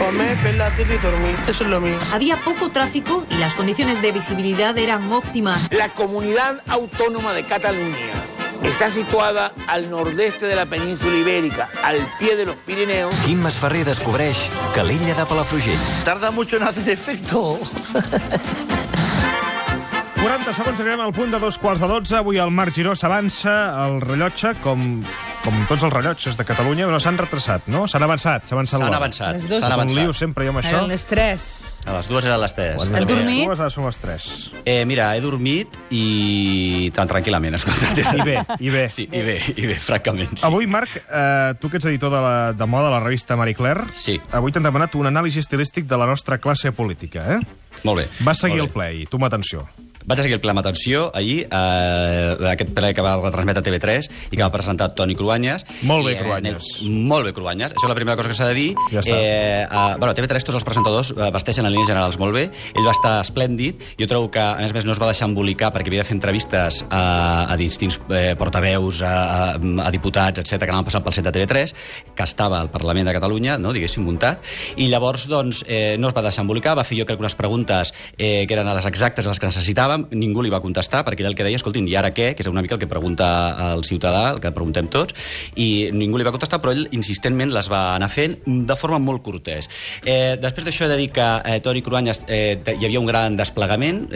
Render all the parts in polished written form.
Comer, ver la tele y dormir. Eso es lo mío. Había poco tráfico y las condiciones de visibilidad eran óptimas. La Comunidad Autónoma de Cataluña está situada al nordeste de la península ibérica, al pie de los Pirineos. Quim Masferrer descobreix que l'illa de Palafrugell. Tarda mucho en hacer efecto. 40 segons, arribem al punt de 2:15. Avui el Marc Giró s'avança al rellotge, com tots els rellotges de Catalunya, però s'han retrasat, no? S'han avançat. S'han avançat. Un lío sempre jo amb això. Eren les 3. A les 2 eren les 3. Has dormit? Les 2 ara són les 3. Mira, he dormit i tan tranquil·lament, escolta. I bé. Sí, i bé, francament, sí. Avui, Marc, tu que ets editor de moda de la revista Marie Claire, sí. Avui t'han demanat un anàlisi estilístic de la nostra classe política, eh? Molt bé. Vas seguir el ple i tu m'atenció. Vaig seguir el ple amb atenció ahir, aquest ple que va retransmetre a TV3 i que va presentar Toni Cruanyes. Molt bé, Cruanyes. Molt bé, Cruanyes. Això és la primera cosa que s'ha de dir. Ja està. Bueno, a TV3 tots els presentadors vesteixen en línies generals molt bé. Ell va estar esplèndid. Jo trobo que, a més, no es va deixar embolicar perquè havia de fer entrevistes a distints portaveus, a diputats, etc que anaven passant pel set de TV3, que estava al Parlament de Catalunya, no, diguéssim, muntat. I llavors, doncs, no es va deixar embolicar, va fer jo crec unes preguntes que eren les exactes, les que necessitàvem. Ningú li va contestar, perquè ell el que deia, escoltin, i ara què? Que és una mica el que pregunta el ciutadà, el que preguntem tots, i ningú li va contestar, però ell insistentment les va anar fent de forma molt cortès. Després d'això he de dir que Toni Cruanyes hi havia un gran desplegament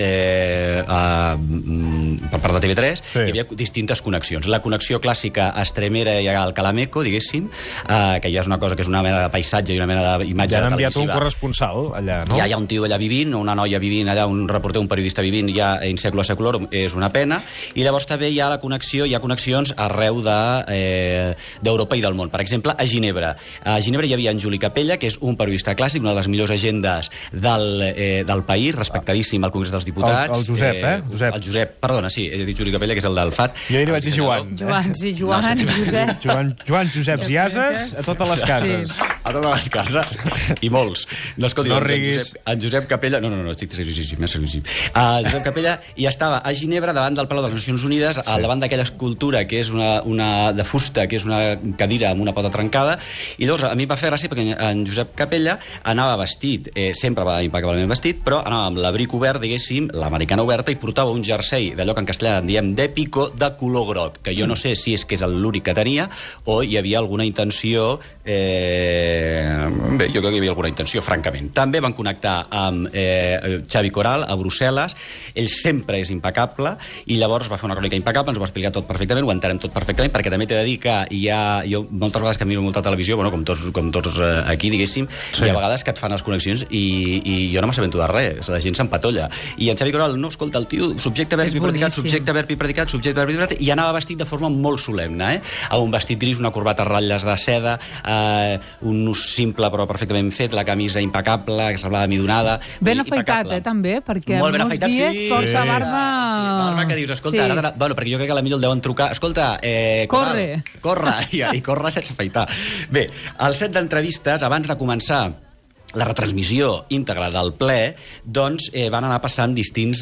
per part de TV3, sí. Hi havia distintes connexions. La connexió clàssica a Estremera i al Calameco, diguéssim, que ja és una cosa que és una mena de paisatge i una mena d'imatge ja han televisiva. enviat un corresponsal allà, no? Ja hi ha un tio allà vivint, una noia vivint allà, un reporter, un periodista vivint, ja in seculo seculorum, és una pena. I llavors també hi ha la connexió, hi ha connexions arreu d'Europa i del món. Per exemple, a Ginebra. A Ginebra hi havia en Juli Capella, que és un periodista clàssic, una de les millors agendes del país, respectadíssim al Congrés dels Diputats. El Josep, Josep. El Josep, perdona, sí, he dit Juli Capella, que és el del FAT. Jo hi vaig dir Joan. Joan Joseps i Ases a totes les cases. Sí. A totes les cases. I molts. No, escolti, no riguis. En Josep Capella... No, estic seriosíssim, més seriosíssim. En Josep Capella i estava a Ginebra davant del Palau de les Nacions Unides, al davant d'aquella escultura que és una de fusta, que és una cadira amb una pota trencada, i llavors a mi va fer gràcia perquè en Josep Capella anava vestit, sempre va impecablement vestit, però anava amb l'abric obert, diguéssim, l'americana oberta, i portava un jersei d'allò que en castellà en diem d'èpico, de color groc, que jo no sé si és que és l'únic que tenia o hi havia alguna intenció... Bé, jo crec que hi havia alguna intenció, francament. També van connectar amb Xavi Coral a Brussel·les. Ell sempre és impecable i llavors va fer una crònica impecable, ens ho va explicar tot perfectament, ho entenem tot perfectament, perquè també t'he de dir que jo moltes vegades que miro molta televisió, bueno, com tots aquí, diguéssim, sí. Hi ha vegades que et fan les connexions i jo no m'assabento de res, la gent s'empatolla. I en Xavi Coral, no, escolta, el tio, subjecte, verb i predicat, subjecte, verb i predicat, subjecte, verb i predicat, i anava vestit de forma molt solemne, amb un vestit gris, una corbata a ratlles de seda, un nus simple però perfectament fet, la camisa impecable, que semblava midonada. Ben afaitat, també, perquè molt ben molts afaitat, dies sí. porta barba... Sí, barba que dius, escolta, ara, bueno, perquè jo crec que a l'Emilio el deuen trucar, escolta, corre, i corre sense afaitar. Bé, al set d'entrevistes, abans de començar la retransmissió íntegra del ple, doncs van anar passant distints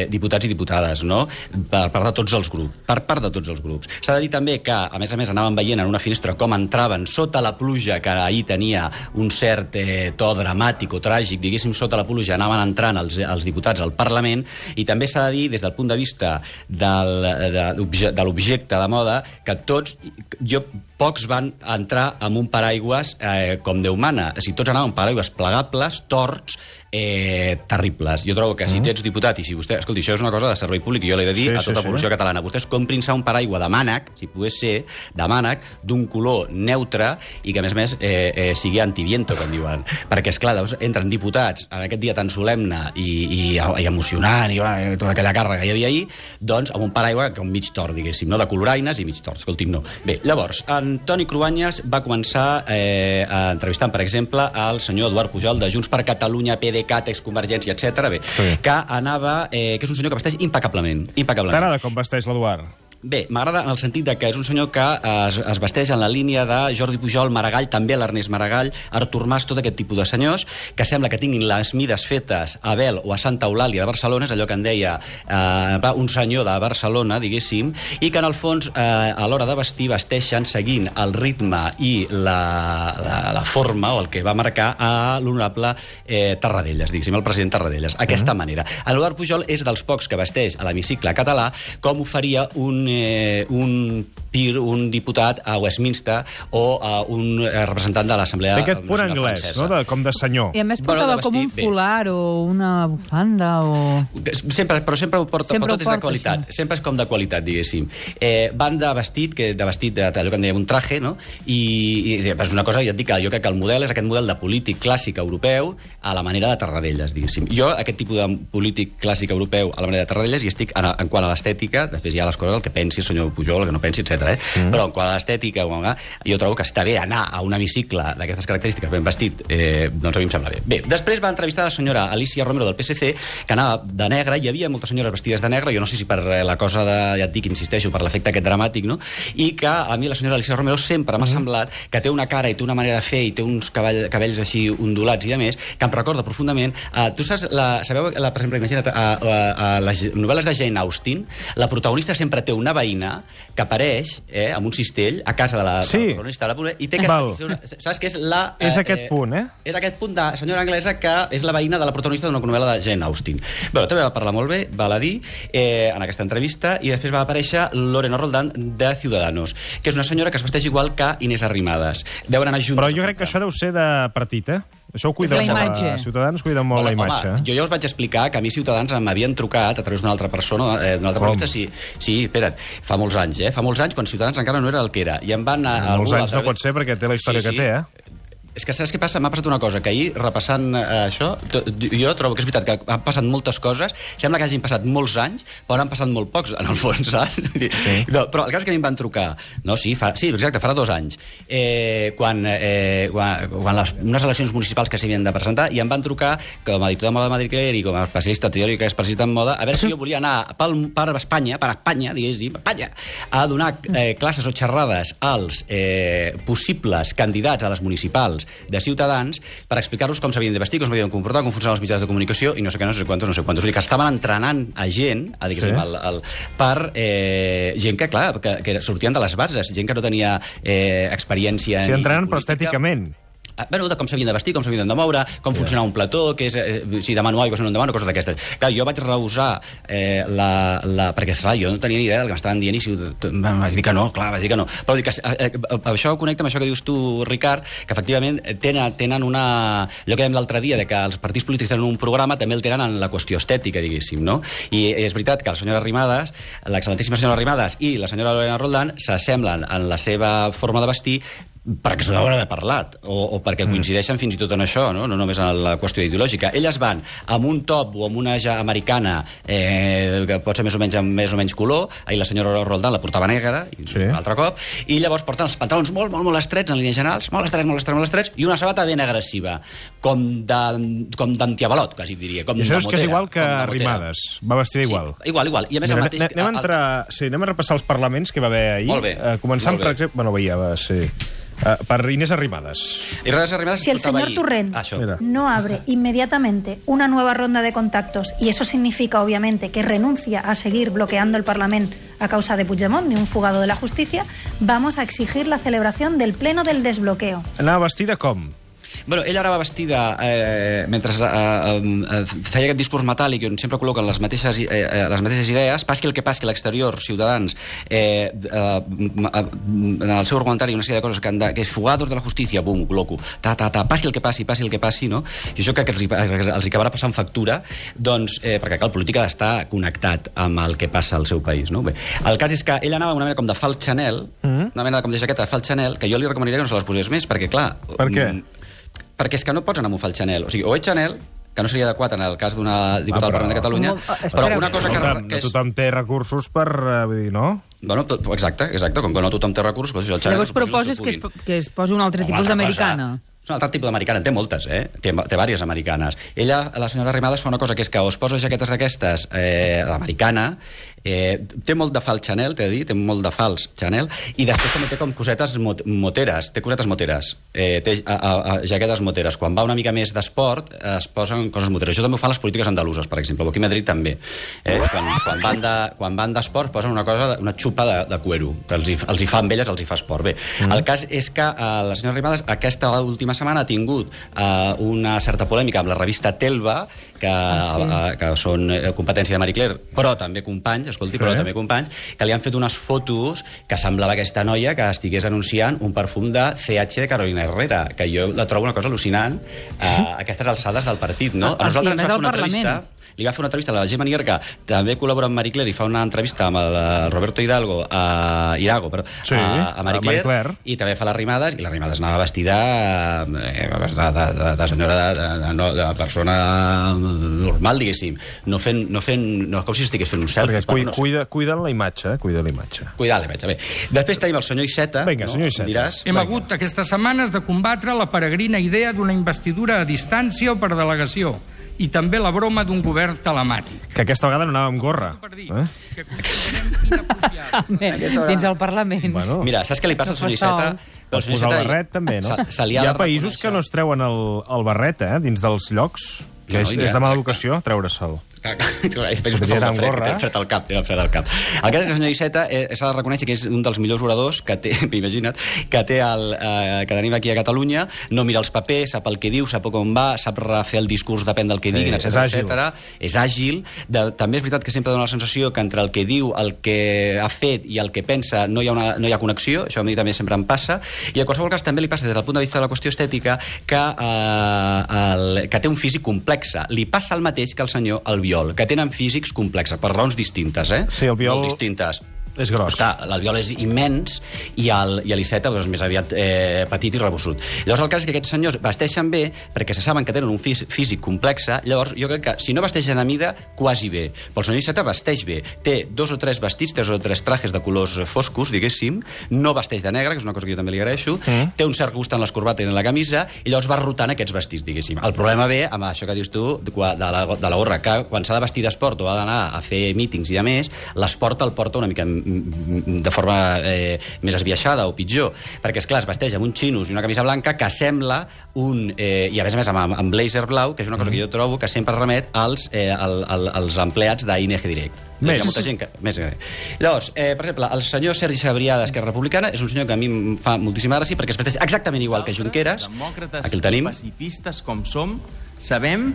diputats i diputades, no? Per part de tots els grups. S'ha de dir també que, a més, anàvem veient en una finestra com entraven sota la pluja, que ahir tenia un cert to dramàtic o tràgic, diguéssim, sota la pluja anaven entrant els diputats al Parlament, i també s'ha de dir, des del punt de vista de l'objecte de moda, que pocs van entrar amb un paraigües com Déu mana. Si tots anaven amb paraigües plegables, torts, terribles. Jo trobo que si tu ets diputat i si vostè... Escolti, això és una cosa de servei públic i jo l'he de dir a tota la població catalana. Vostès comprin-se un paraigua de mànec, si pogués ser, de mànec, d'un color neutre i que, a més, sigui antiviento, com diuen. Perquè, esclar, entren diputats en aquest dia tan solemne i emocionant i tota aquella càrrega que hi havia ahir, doncs amb un paraigua que un mig tort, diguéssim, no? De coloraines i mig tort. Escolti'm, no. Bé, llavors, en Toni Cruanyes va començar entrevistant, per exemple, al senyor Eduard Pujol de Junts per Catalunya, PDeCAT, exconvergència, etc. Bé, sí. Que anava... que és un senyor que vesteix impecablement. T'agrada com vesteix l'Eduard? Bé, m'agrada en el sentit de que és un senyor que es vesteix en la línia de Jordi Pujol, Maragall, també l'Ernest Maragall, Artur Mas, tot aquest tipus de senyors, que sembla que tinguin les mides fetes a Bel o a Santa Eulàlia de Barcelona, és allò que en deia un senyor de Barcelona, diguéssim, i que en el fons, a l'hora de vestir, vesteixen seguint el ritme i la forma, o el que va marcar a l'honorable Tarradellas, diguéssim, el president Tarradellas, aquesta manera. L'Eduard Pujol és dels pocs que vesteix a l'hemicicle català com ho faria un diputat a Westminster o a un representant de l'Assemblea Nacional Francesa. Té aquest punt anglès, no? Com de senyor. I a més portava com un folar o una bufanda o... Però sempre ho porta, però tot és de qualitat. Sempre és com de qualitat, diguéssim. Van de vestit, allò que en dèiem un traje, no? I és una cosa, ja et dic, jo crec que el model és aquest model de polític clàssic europeu a la manera de Tarradellas, diguéssim. Jo, aquest tipus de polític clàssic europeu a la manera de Tarradellas, i estic en quant a l'estètica, després hi ha les coses, el que pensi el senyor Pujol, el que no pensi, etc. Però en quant a l'estètica, jo trobo que està bé anar a un hemicicle d'aquestes característiques ben vestit, doncs a mi em sembla bé. Bé, després va entrevistar la senyora Alicia Romero del PSC, que anava de negre, hi havia moltes senyores vestides de negre, jo no sé si per la cosa de, ja et dic, insisteixo, per l'efecte aquest dramàtic, no? I que a mi la senyora Alicia Romero sempre m'ha semblat que té una cara i té una manera de fer i té uns cabells així ondulats i a més, que em recorda profundament. Tu saps, sabeu, per exemple, imagina't, a les novel·les de Jane Austen, la protagonista sempre té una veïna que apareix amb un cistell a casa de la protagonista i té aquesta... Saps què és la... És aquest punt, És aquest punt de senyora anglesa que és la veïna de la protagonista d'una novel·la de Jane Austen. Bé, també va parlar molt bé, val a dir, en aquesta entrevista, i després va aparèixer Lorena Roldán de Ciudadanos, que és una senyora que es vesteix igual que Inés Arrimadas. Deuen anar junts... Però jo crec que això deu ser de partit, Això ho cuida molt. Ciutadans cuida molt la imatge. Home, jo ja us vaig explicar que a mi Ciutadans m'havien trucat a través d'una altra persona, d'una altra periodista. Sí, espera't, fa molts anys, Fa molts anys, quan Ciutadans encara no era el que era. I em van... Molts anys no pot ser, perquè té la història que té, És que saps què passa? M'ha passat una cosa, que ahir, repassant això, jo trobo que és veritat que han passat moltes coses, sembla que hagin passat molts anys, però han passat molt pocs, en el fons, saps? No, però el cas és que a mi em van trucar, exacte, farà 2 anys, quan unes eleccions municipals que s'havien de presentar, i em van trucar com a diputat de moda de Madrid i com a especialista teòric especialista en moda, a veure si jo volia anar per Espanya, diguéssim, a donar classes o xerrades als possibles candidats a les municipals de Ciutadans per explicar-los com s'havien de vestir, com s'havien de comportar, com funcionaven els mitjans de comunicació i no sé quantos. Vull dir que estaven entrenant a gent, per gent que, clar, que sortien de les bases, gent que no tenia experiència... Sí, entrenant, però estèticament. Bueno, de com s'havien de vestir, com s'havien de moure, com funcionava un plató, que és, si demano aigua, si no en demano, coses d'aquestes. Clar, jo vaig rehusar perquè, clar, jo no tenia ni idea del que m'estaven dient i vaig dir que no, clar, Però dic que això ho connecta amb això que dius tu, Ricard, que efectivament tenen una... Allò que dèiem l'altre dia, de que els partits polítics tenen un programa, també el tenen en la qüestió estètica, diguéssim, no? I és veritat que la senyora Arrimadas, l'excel·lentíssima senyora Arrimadas i la senyora Lorena Roldán s'assemblen en la seva forma de vestir perquè s'ho deuen haver parlat, o perquè coincideixen fins i tot en això, no només en la qüestió ideològica. Elles van amb un top o amb una americana que pot ser més o menys color, ahir la senyora Roldán la portava negra, un altre cop, i llavors porten els pantalons molt estrets en línies generals, molt estrets, i una sabata ben agressiva, com d'antiavalot, quasi diria. I això és que és igual que Arrimadas, va vestida igual. Sí, igual. I a més el mateix... Anem a repassar els parlaments que va haver ahir. Molt bé. Començant, per exemple... Bueno, per Inés Arrimadas. Si el señor Torrent no abre inmediatamente una nueva ronda de contactos, y eso significa obviamente que renuncia a seguir bloqueando el Parlamento a causa de Puigdemont, ni un fugado de la justicia, vamos a exigir la celebración del pleno del desbloqueo. Anava vestida com? Bueno, ella ara va vestida, mentre feia aquest discurs metàl·lic on sempre col·loquen les mateixes idees, passi el que passi a l'exterior, Ciutadans, en el seu argumentari una sèrie de coses que és fugados de la justícia, bum, col·loco, passi el que passi, no? I això crec que els acabarà passant factura, doncs, perquè el polític ha d'estar connectat amb el que passa al seu país, no? Bé, el cas és que ella anava una mena com de fal Chanel, una mena com de jaqueta de fal Chanel, que jo li recomanaria que no se les posés més, perquè, clar... Per què? Perquè és que no pots anar amb un fal Chanel. O sigui, o ets Chanel, que no seria adequat en el cas d'una diputada del Parlament de Catalunya, però una cosa que... No tothom té recursos per... vull dir, no? Bueno, exacte, com que no tothom té recursos... Llavors proposes que es posi un altre tipus d'americana. És un altre tipus d'americana, en té moltes, té diverses americanes. Ella, la senyora Arrimadas, fa una cosa que és que o es posa jaquetes d'aquestes, l'americana, Té molt de fals Chanel, t'he de dir, té molt de fals Chanel, i després també té com cosetes moteres, té jaquetes moteres. Quan va una mica més d'esport, es posen coses moteres. Això també ho fan les polítiques andaluses, per exemple. Aquí a Madrid també. Quan van d'esport posen una xupa de cuero, que els hi fa amb elles, els hi fa esport. Bé, el cas és que la senyora Arrimadas aquesta última setmana ha tingut una certa polèmica amb la revista Telva, que són competència de Marie Claire, però també companys, que li han fet unes fotos que semblava aquesta noia que estigués anunciant un perfum de CH de Carolina Herrera, que jo la trobo una cosa al·lucinant a aquestes alçades del partit, no? A nosaltres ens va fer una entrevista... Li va fer una entrevista a la Gemma Nierga, també col·labora amb Marie Claire, i fa una entrevista amb el Roberto Irago, a Marie Claire, i també fa les Arrimadas, i les Arrimadas anava vestida de senyora, de persona normal, diguéssim. No com si estigués fent un selfie. Cuiden la imatge, Cuidar la imatge, bé. Després tenim el senyor Iceta. Vinga, senyor Iceta. Hem hagut aquestes setmanes de combatre la peregrina idea d'una investidura a distància o per delegació, i també la broma d'un govern telemàtic. Que aquesta vegada no anava amb gorra. Dins el Parlament. Mira, saps què li passa al senyor Iceta? Pots posar el barret, també, no? Hi ha països que no es treuen el barret, dins dels llocs, que és de mala educació, treure-se'l. Fred al cap. El cas és que el senyor Iceta s'ha de reconèixer que és un dels millors oradors que té, imagina't, que tenim aquí a Catalunya. No mira els papers, sap el que diu, sap on va, sap refer el discurs, depèn del que diguin, etc. És àgil. També és veritat que sempre dona la sensació que entre el que diu, el que ha fet i el que pensa no hi ha connexió. Això a mi també sempre em passa. I a qualsevol cas també li passa des del punt de vista de la qüestió estètica que té un físic complex. Li passa el mateix que el senyor Albiol, que tenen físics complexes, per raons distintes, Sí, el Albiol és gros. L'Albiol és immens i l'Iceta és més aviat petit i rebossut. Llavors el cas és que aquests senyors vesteixen bé perquè se saben que tenen un físic complex. Llavors jo crec que si no vesteixen a mida, quasi bé. Però el senyor Iceta vesteix bé. Té 2 o 3 vestits, 2 o 3 trajes de colors foscos, diguéssim. No vesteix de negre, que és una cosa que jo també li agraeixo. Té un cert gust en les corbates i en la camisa, i llavors va rotant aquests vestits, diguéssim. El problema ve amb això que dius tu de la gorra, que quan s'ha de vestir d'esport o ha d'anar a fer mítings i a més, l'esport el porta una mica de forma més esbiaixada o pitjor, perquè esclar, es vesteix amb uns xinos i una camisa blanca que sembla i a més amb blazer blau, que és una cosa que jo trobo que sempre remet als empleats d'ING Direct. Llavors, per exemple, el senyor Sergi Sabrià d'Esquerra Republicana és un senyor que a mi em fa moltíssima gràcia perquè es vesteix exactament igual que Junqueras. Aquí el tenim. Pacifistes com som, sabem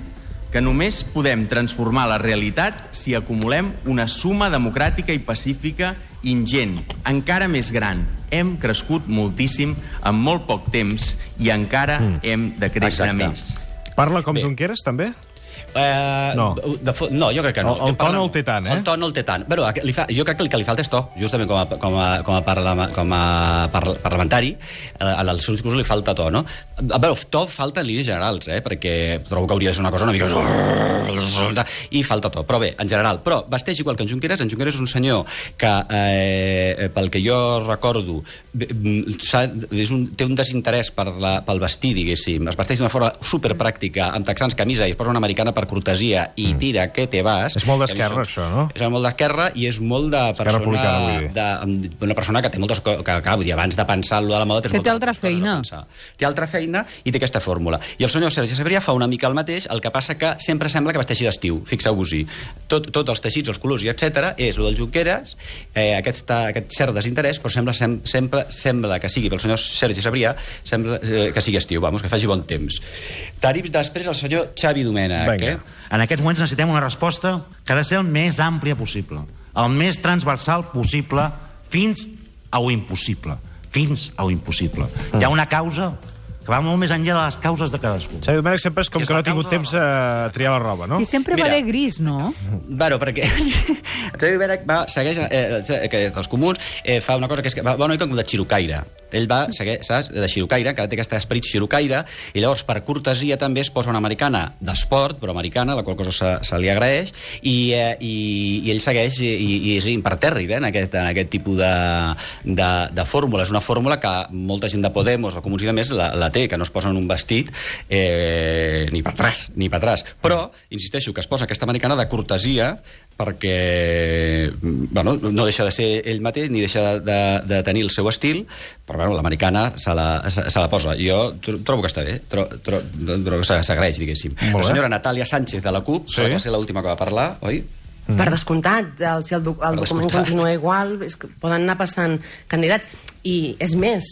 que només podem transformar la realitat si acumulem una suma democràtica i pacífica ingent, encara més gran. Hem crescut moltíssim en molt poc temps i encara hem de créixer més. Parla com Junqueras, també? No, jo crec que no. El to no el té tant, El to no el té tant. Jo crec que el que li falta és to, justament com a parlamentari, als seus discursos li falta to, no? To falta en línies generals, perquè trobo que hauria de ser una cosa una mica... I falta to, però bé, en general. Però vesteix igual que en Junqueras. En Junqueras és un senyor que, pel que jo recordo, té un desinterès pel vestir, diguéssim. Es vesteix d'una forma superpràctica, amb texans, camisa, i es posa una americana per cortesia i tira que te vas. És molt d'esquerra, això, no? És molt d'esquerra i és molt de persona... Una persona que té moltes... Que abans de pensar en allò de la moda... Té altra feina. Té altra feina i té aquesta fórmula. I el senyor Sergi Sabrià fa una mica el mateix, el que passa que sempre sembla que vesteixi d'estiu. Fixeu-vos-hi. Tots els teixits, els colors i etc. és el del Junqueras, aquest cert desinterès, però sembla que sigui pel senyor Sergi Sabrià, sembla que sigui estiu, que faci bon temps. Tenim després el senyor Xavi Domènech. En aquests moments necessitem una resposta que ha de ser el més àmplia possible, el més transversal possible, fins a lo impossible. Hi ha una causa que va molt més enllà de les causes de cadascun. Xavi Domènech sempre és com que no ha tingut temps a triar la roba, no? I sempre va de gris, no? Bueno, perquè Xavi Domènech segueix que els comuns fa una cosa que és que va una mica com de xirocaire. Ell va, saps, de xirocaire, encara té aquest esperit xirocaire, i llavors per cortesia també es posa una americana d'esport, però americana, la qual cosa se li agraeix, i ell segueix i és impertèrrit en aquest tipus de fórmula. És una fórmula que molta gent de Podemos, de Comuns i de més, la té. té, que no es posen un vestit ni per atràs. Però, insisteixo, que es posa aquesta americana de cortesia perquè no deixa de ser ell mateix ni deixa de tenir el seu estil, però l'americana se la posa. Jo trobo que està bé, trobo que s'agraeix, diguéssim. La senyora Natàlia Sánchez de la CUP, va ser l'última que va parlar, oi? Per descomptat, si el document continua igual, poden anar passant candidats. I és més,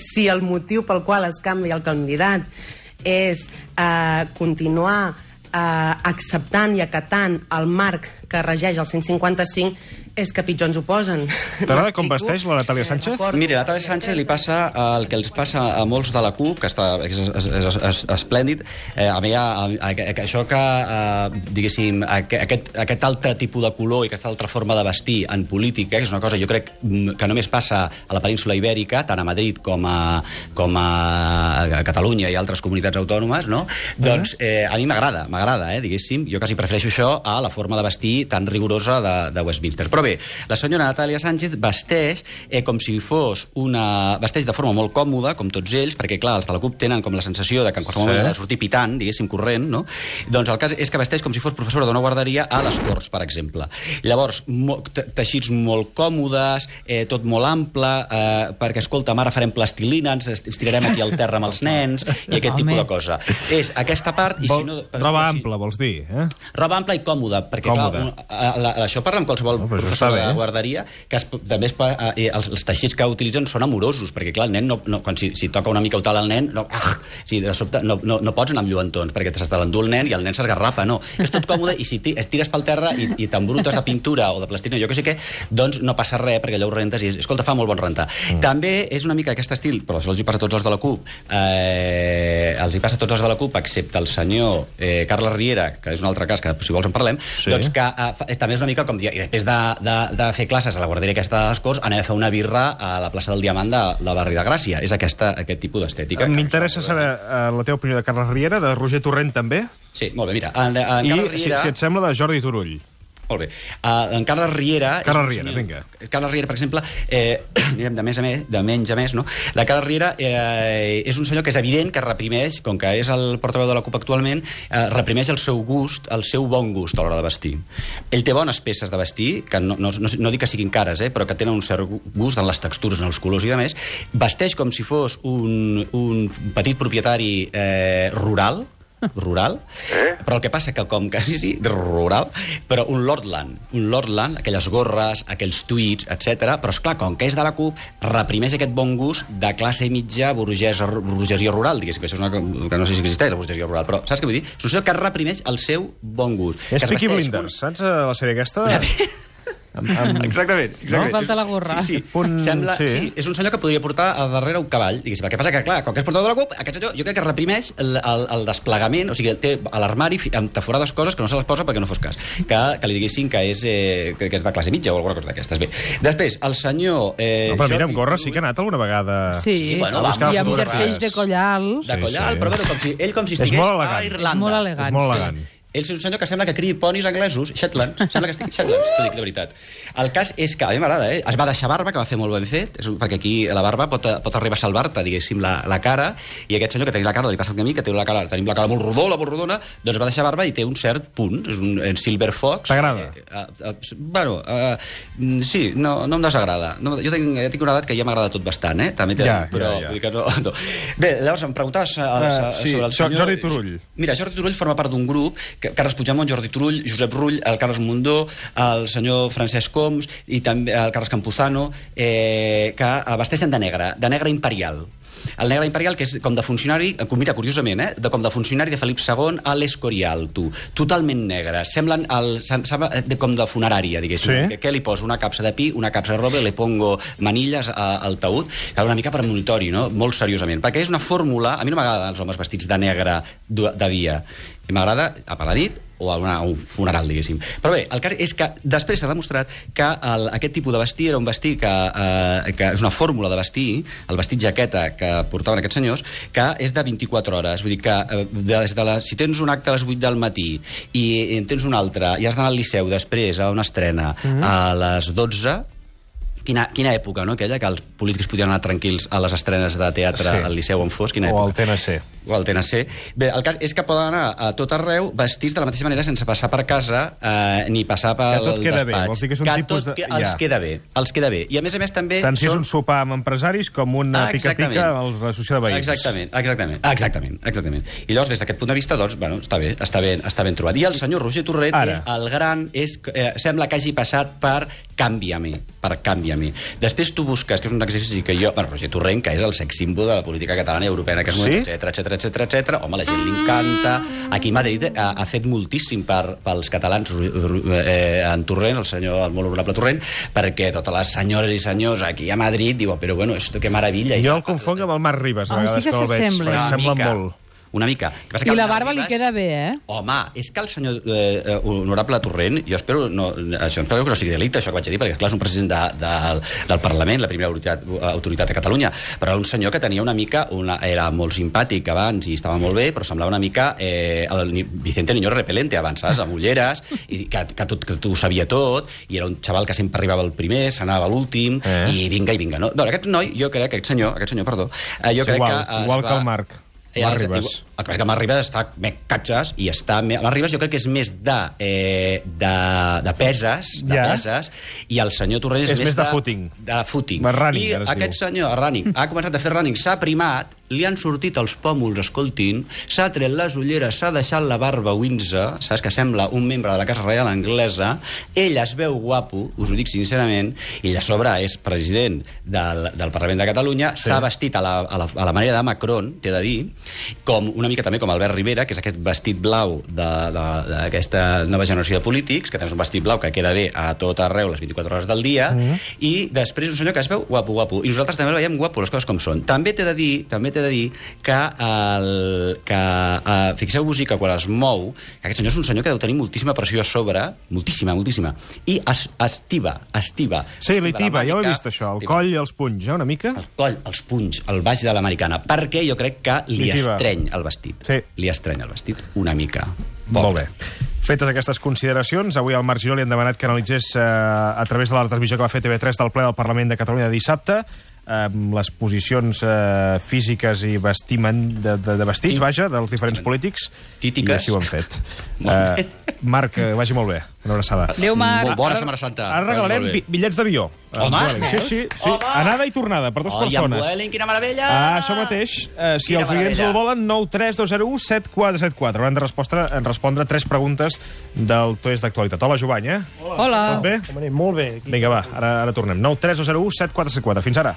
si el motiu pel qual es canvia el candidat és continuar acceptant i acatant el marc que regeix el 155, és que pitjor ens ho posen. T'agrada com vesteix la Natàlia Sánchez? Mira, a Natàlia Sánchez li passa el que els passa a molts de la CUP, que és esplèndid. A mi, això que, diguéssim, aquest altre tipus de color i aquesta altra forma de vestir en política, que és una cosa, jo crec, que només passa a la península Ibèrica, tant a Madrid com a Catalunya i altres comunitats autònomes, no? Doncs a mi m'agrada, diguéssim. Jo quasi prefereixo això a la forma de vestir tan rigorosa de Westminster. Però bé, la senyora Natàlia Sánchez vesteix com si fos vesteix de forma molt còmoda, com tots ells, perquè, clar, els de la CUP tenen com la sensació de que en qualsevol moment ha de sortir pitant, diguéssim, corrent, no? Doncs el cas és que vesteix com si fos professora d'una guarderia a les Corts, per exemple. Llavors, teixits molt còmodes, tot molt ample, perquè, escolta, ara farem plastilina, ens estirarem aquí al terra amb els nens, i aquest tipus de cosa. És aquesta part... Roba ampla, vols dir, eh? Roba ampla i còmoda, perquè, clar, això parla amb qualsevol professor de la guarderia, que també els teixits que utilitzen són amorosos, perquè, clar, el nen, quan si toca una mica o tal al nen, de sobte no pots anar amb lluentons, perquè se te l'endú el nen i el nen s'esgarrapa, no. És tot còmode, i si tires pel terra i t'embrutes de pintura o de plastilina, jo que sé què, doncs no passa res, perquè allò ho rentes i, escolta, fa molt bon rentar. També és una mica aquest estil, però això els hi passa a tots els de la CUP, els hi passa a tots els de la CUP, excepte el senyor Carles Riera, que és un altre cas, que si vols en parlem, doncs que també és una mica com dir, i després de fer classes a la guarderia aquesta de les Corts, anem a fer una birra a la plaça del Diamant del barri de Gràcia. És aquest tipus d'estètica. M'interessa saber la teva opinió de Carles Riera, de Roger Torrent també. Sí, molt bé, mira. I, si et sembla, de Jordi Turull. Molt bé. En Carles Riera... vinga. Carles Riera, per exemple, anirem de menys a més, no? La Carles Riera és un senyor que és evident que reprimeix, com que és el portaveu de la CUP actualment, reprimeix el seu gust, el seu bon gust a l'hora de vestir. Ell té bones peces de vestir, que no dic que siguin cares, però que tenen un cert gust en les textures, en els colors i demés. Vesteix com si fos un petit propietari rural, però el que passa que rural, però un Lordland, aquelles gorres, aquells tuits, etc. Però esclar, com que és de la CUP, reprimeix aquest bon gust de classe mitja burgesia rural, diguéssim, que això és una que no sé si existeix, la burgesia rural, però saps què vull dir? És un senyor que reprimeix el seu bon gust. És Peaky Blinders, saps la sèrie aquesta? Exactament. No falta la gorra. Sí, és un senyor que podria portar a darrere un cavall, diguéssim. El que passa que, clar, com que és portador de la CUP, aquest senyor jo crec que reprimeix el desplegament, o sigui, té a l'armari entaforades coses que no se les posa perquè no fos cas. Que li diguessin que és de classe mitja o alguna cosa d'aquestes. Bé, després, el senyor... però mira, amb gorra sí que ha anat alguna vegada... Sí, bueno, i amb jerseis de coll alt. De coll alt, però ell com si estigués a Irlanda. És molt elegant. Ell és un senyor que sembla que crii ponis anglesos, Shetlands, sembla que estigui Shetlands, t'ho dic de veritat. El cas és que, a mi m'agrada, es va deixar barba, que va fer molt ben fet, perquè aquí la barba pot arribar a salvar-te, diguéssim, la cara, i aquest senyor que tenia la cara, li passa el que a mi, que tenim la cara molt rodona, doncs va deixar barba i té un cert punt, és un Silver Fox. T'agrada? Sí, no em desagrada. Jo tinc una edat que ja m'agrada tot bastant, també, però vull dir que no. Bé, llavors em preguntaves sobre el senyor... Jordi Turull. Mira, Jordi Turull forma part d'un grup, Carles Puigdemont, Jordi Turull, Josep Rull, el Carles Mundó, el senyor Francesc Homs i també el Carles Campuzano, que vesteixen de negre imperial. El negre imperial, que és com de funcionari, mira, curiosament, com de funcionari de Felip II a l'Escorial, totalment negre. Semblen com de funerària, diguéssim. Sí. Què li poso? Una capsa de pi, una capsa de roble, le pongo manilles al taüt, una mica per monitori, no? Molt seriosament. Perquè és una fórmula... A mi no m'agraden els homes vestits de negre de dia. M'agrada a la nit o a un funeral, diguéssim. Però bé, el cas és que després s'ha demostrat que aquest tipus de vestir era un vestir que és una fórmula de vestir, el vestit jaqueta que portaven aquests senyors, que és de 24 hores. Vull dir que si tens un acte a les 8 del matí i en tens un altre i has d'anar al Liceu després a una estrena a les 12, Quina època, no? Aquella que els polítics podien anar tranquils a les estrenes de teatre al Liceu on fos. Quina època. O al TNC. O al TNC. Bé, el cas és que poden anar a tot arreu vestits de la mateixa manera sense passar per casa ni passar pel despatx. Que tot queda bé. Vols dir que és un tipus de... Els queda bé. Els queda bé. I a més també... Tant si és un sopar amb empresaris com una pica-pica a l'associació de veïns. Exactament. I llavors, des d'aquest punt de vista, doncs, bueno, està ben trobat. I el senyor Roger Torrent és el gran... Sembla que hagi passat per Canvia-me. Després tu busques, que és un exercici que jo... Bueno, Roger Torrent, que és el sex símbol de la política catalana i europea en aquest moment, etcètera. Home, la gent li encanta. Aquí a Madrid ha fet moltíssim pels catalans en Torrent, el molt honorable Torrent, perquè totes les senyores i senyors aquí a Madrid diuen, però bueno, esto que maravilla. Jo el confonc amb el Marc Ribas, a vegades que el veig, perquè sembla molt... Una mica. I la barba li queda bé, Home, és que el senyor honorable Torrent, jo espero que no sigui delicte, això que vaig dir, perquè clar, és un president del Parlament, la primera autoritat de Catalunya, però un senyor que tenia una mica... Era molt simpàtic abans i estava molt bé, però semblava una mica el Vicente Niño Repelente abans, saps? Amb ulleres, i que ho sabia tot, i era un xaval que sempre arribava el primer, s'anava a l'últim, i vinga, no? Aquest noi, jo crec que aquest senyor, jo crec que... Igual que el Marc. Marc Ribas. El que passa que Marc Ribas està més catxes i està... Marc Ribas jo crec que és més de peses, i el senyor Torrent és més de footing. De footing. Running, I aquest senyor, running, ha començat a fer running, s'ha primat, li han sortit els pòmuls, escoltin, s'ha tret les ulleres, s'ha deixat la barba Windsor, saps que sembla un membre de la Casa Reial Anglesa, ell es veu guapo, us ho dic sincerament, i a sobre és president del Parlament de Catalunya, s'ha vestit a la manera de Macron, t'he de dir, com una mica també com Albert Rivera, que és aquest vestit blau d'aquesta nova generació de polítics, que també és un vestit blau que queda bé a tot arreu les 24 hores del dia, i després un senyor que es veu guapo. I nosaltres també el veiem guapo, les coses com són. També t'he de dir que fixeu-vos que quan es mou, que aquest senyor és un senyor que deu tenir moltíssima pressió a sobre, moltíssima, i estiva. Sí, li tiba, ja ho he vist això, el coll i els punys, una mica? El coll, els punys, el baix de l'americana, perquè jo crec que li estreny el vestit. Sí. Li estreny el vestit una mica. Molt bé. Fetes aquestes consideracions, avui al Marc Giró li han demanat que analitzés a través de la retransmissió que va fer TV3 del ple del Parlament de Catalunya de dissabte les posicions físiques i de vestits, vaja, dels diferents polítics. Títiques. I així ho han fet. Marc, que vagi molt bé. Una abraçada. Adéu, Marc. Bona Setmana Santa. Ara regalarem bitllets d'avió. Home! Sí. Anada i tornada, per 2 persones. I amb Vueling, quina meravella! Això mateix. Si els oients el volen, 93201 7474. Hauran de respondre 3 preguntes del test d'actualitat. Hola, Jovany, Hola. Tot bé? Molt bé. Vinga, va, ara tornem. 93201 7474. Fins ara.